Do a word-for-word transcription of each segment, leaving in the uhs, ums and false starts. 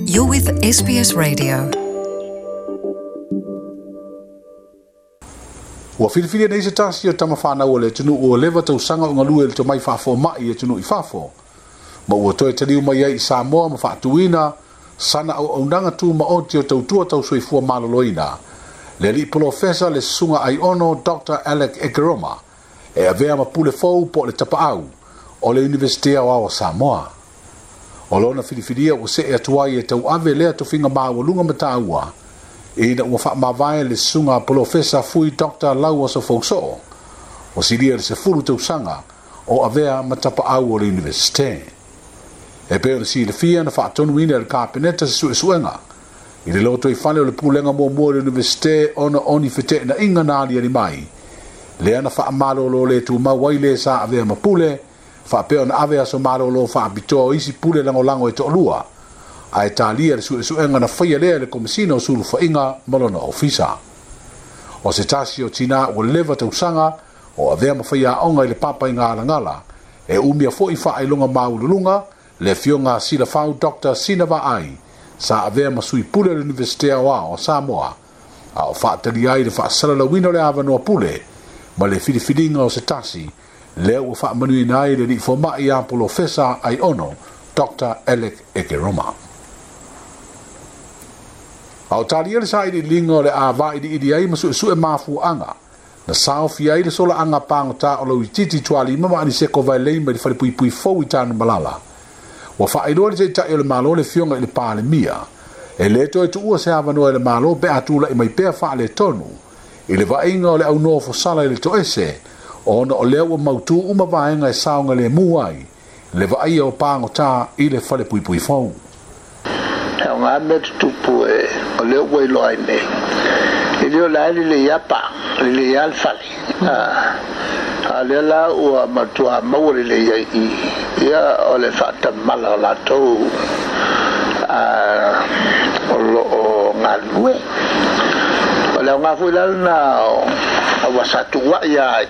You're with S B S Radio. Ua filifilia nei se tasi o tamawhanau o le atunuu o leva tausaga o galue i le tomai faafoma'i i atunuu i fafo. Ma ua toe taliu mai ai i Samoa ma faatuina sana auaunaga tumaoti o tautua tausoifua maloloina. Le alii polofesa le susuga Aiono Doctor Alec Ekeroma e avea ma pule fou po o le tapaau o le Universite Aoao o Samoa. O lona filifilia ua see atu ai e tauave lea tofiga maualuga ma taua ina ua faamavae le susuga polofesa Fui Doctor Lauoso Fousoo o silia le sefulu tausaga o avea ma tapaau o le Universite. E pei ona silafia na faatonuina e le Kapeneta se suesuega i le lotoifale o le pulega muamua o le Universite ona o ni feteenaiga na aliali mai lea na faamalolo le tumau ai le sa avea ma pule faapea ona ave aso malolo faapitoa o isi pule lagolago e toalua ae talia le suesuega na faia lea e le Komesina o Sulufaiga ma lona ofisa. O se tasi o tinā ua leva tausaga o avea ma faiaoga i le papa i galagala e umia foi faailoga maualuluga le afioga Silafau Doctor Sina Vaai sa avea ma sui pule o le Universite Aoao o Samoa a o faatalia ai le faasalalauina o le avanoa pule ma le filifiliga o se tasi lea ua faamanuiina ai le alii foma'i a polofesa Aiono Doctor Alec Ekeroma. A o talia le sailiiliga o le a vailiili ai ma suesue mafuaaga na saofia ai le solaaga pagotā o lauitiiti tualima ma Aniseko Vailei mai le falepuipui fou i Tanumalala. Ua faailoa le taitai o le Malo le afioga i le Palemia e lē toe tuua se avanoa i le Malo pe a tula'i mai pea faaletonu i le vaaiga o le aunofosala i le toese ona o lea ua mautū uma vaega e saogalemu ai le vaaia o pagotā i le falepuipui fou. E o ngā mea tutupu e o lea ua iloa ai nei. E leo la e lelei lava pa, lelei lava le fale. A lea la ua matua maua lelei ai i ia o le faatamala o latou o loo galulue. O le aoga foi la lena o ua sa tuuai ai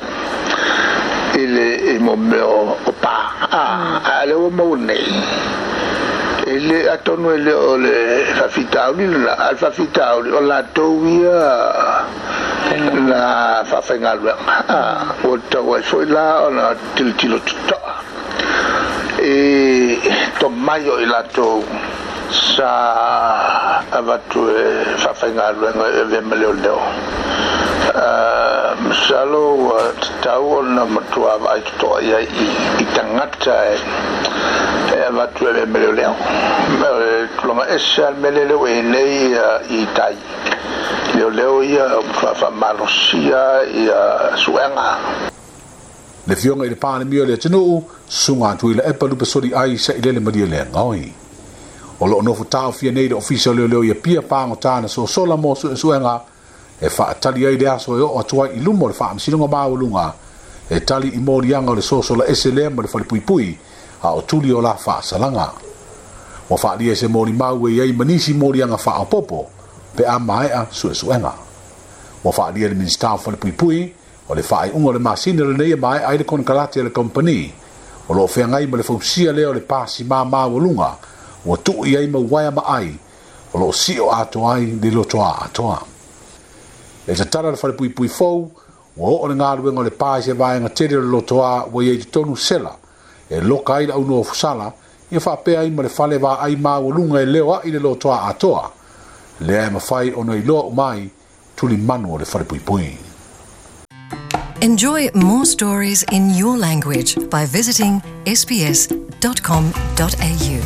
i le i mo mea o pa. A lea ua maua nei. E le atonu e le o le faafitauli lena, a le faafitauli o latou ia na faafaigaluega. Ua tatau ai foi la ona tilotilo totoa i tomai o i latou sa avatu e faafaigaluega e avea ma leoleo. Masalo ua tatau ona matua vaai totoa i ai i tagata e avatu e avea ma leoleo. O le tulaga ese lava le mea lea ua i ai nei i tai. Leoleo ia faafamalosia ia suega. Le afioga i le Palemia o le atunuu, susuga Tuilaepa Lupesoli ai sailele malie le gaoi. O loo nofo taofia nei le ofisa o leoleo ia pia pagotā na sosola mo suesuega e faatali ai le aso e oo atu ai i luma o le faamasinoga maualuga e tali i moliaga o le sosola ese lea ma le falepuipui a o tuli o la faasalaga. Ua faalia se molimau e i ai ma nisi moliaga faaopopo pe a maea suesuega. Ua faalia le Minisita o Falepuipui o le faaiuga o le masina lenei e maea ai le konekarate a le kompani o loo feagai ma le fausia lea o le pasimā maualuga ua tuu i ai mau uaea ma ai o loo sio atoa ai le lotoā atoa. E tatala le falepuipui fou ua oo le galuega o le pa i se vaega tele o le lotoā ua i ai totonu sela e loka ai le aunofosala ia faapea ai ma le fale vaai maualuga e leo ai le lotoā atoa lea e mafai ona iloa uma ai tulimanu o le falepuipui. Enjoy more stories in your language by visiting s b s dot com dot a u.